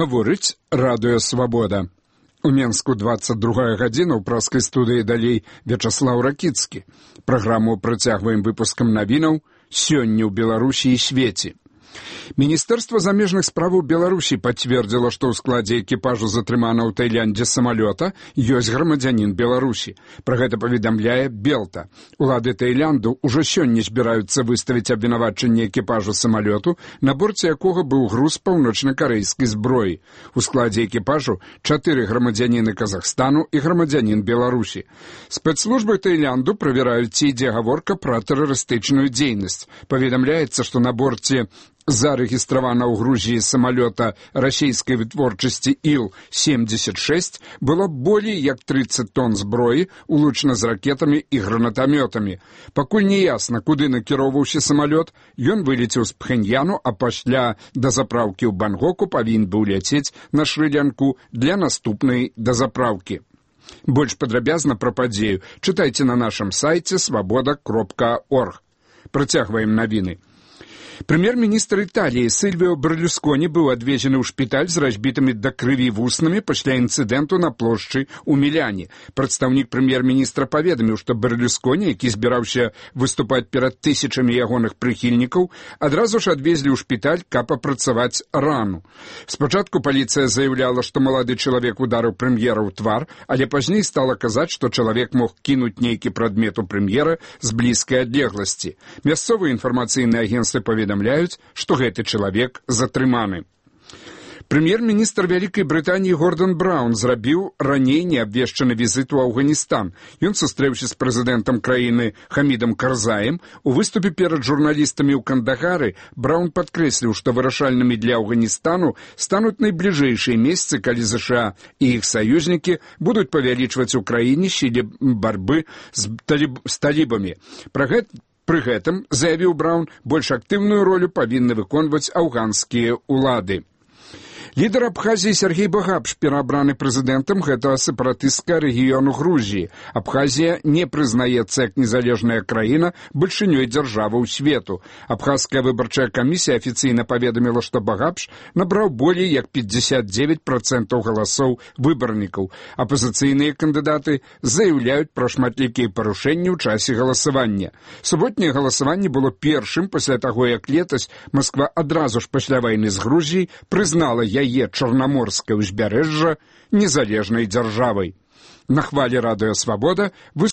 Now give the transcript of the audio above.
Гаворыць радыё «Свабода». У Менску 22 гадзіна ў праскай студыі далей Вячаслаў Ракіцкі. Праграму працягваем выпускам навінаў «Сёння ў Беларусі і свеце». Міністэрства замежных справаў Беларусі пацвердзіла, што ў складзе экіпажу затрыманага ў Таіландзе самалёта ёсць грамадзянін Беларусі. Пра гэта паведамляе Белта. Улады Таіланду ўжо сёння збіраюцца выставіць абвінавачанне экіпажу самалёту, на борце якога быў груз паўночна-карэйскай зброі. У складзе экіпажу 4 грамадзяніны Казахстану і грамадзянін Беларусі. Спецслужбы Таіланду правяраюць, ці ідзе гаворка пра тэрарыстычную дзейнасць. Паведамляецца, што на борце зарэгістравана ў Грузіі самалёта расійскай вытворчасці Ил-76 было болей як 30 тонн зброі, улучна з ракетамі і гранатамётамі. Пакуль не ясна, куды накіроўваўся самалёт, ён вылецеў з Пхеньяну, а пасля дазапраўкі ў Бангоку павінен быў ляцець на Шры-Лянку для наступнай дазапраўкі. Больш падрабязна пра падзею чытайце на нашым сайце свабода.орг. Працягваем навіны. Прэм'ер-міністр Італіі Сільвіо Берлюсконі быў адвезены ў шпіталь з разбітымі да крыві вуснамі пасля інцыдэнту на плошчы ў Міляне. Прадстаўнік прэм'ер-міністра паведаміў, што Берлюсконі, які збіраўся выступаць перад тысячамі ягоных прыхільнікаў, адразу ж адвезлі ў шпіталь, каб апрацаваць рану. Спачатку паліцыя заяўляла, што малады чалавек ударыў прэм'ера ў твар, але пазней стала казаць, што чалавек мог кінуць нейкі прадмет у прэм'ера з блізкай адлегласці. Мясцовыя інфармацыйныя агенцтвы паведамляюць, што гэты чалавек затрыманы. Прэм'ер-міністр Вялікай Брытаніі Гордан Браўн зрабіў раней неабвешчаны візіт у Афганістан. Ён сустрэўся з прэзідэнтам краіны Хамідам Карзаем. У выступе перад журналістамі ў Кандагары Браўн падкрэсліў, што вырашальнымі для Афганістану стануць найбліжэйшыя месяцы, калі ЗША і іх саюзнікі будуць павялічваць у краіне сілы барбы з талібамі. Пры гэтым, заявіў Браўн, больш актыўную ролю павінны выконваць афганскія ўлады. Лідар Абхазіі Сергей Багапш пераабраны прэзідэнтам гэтага сепаратыстскага рэгіёну Грузіі. Абхазія не прызнаецца як незалежная краіна бальшынёй дзяржавы ў свету. Абхазская выбарчая камісія афіцыйна паведаміла, што Багапш набраў болей як 59% галасоў выбарнікаў. Апазіцыйныя кандыдаты заяўляюць пра шматлікія парушэнні ў часе галасавання. Суботняе галасаванне было першым пасля таго, як летась Масква адразу ж пасля вайны з Грузіяй прызнала яе чарнаморскае ўзбярэжжа незалежнай дзяржавай. На хвалі радыё «Свабода»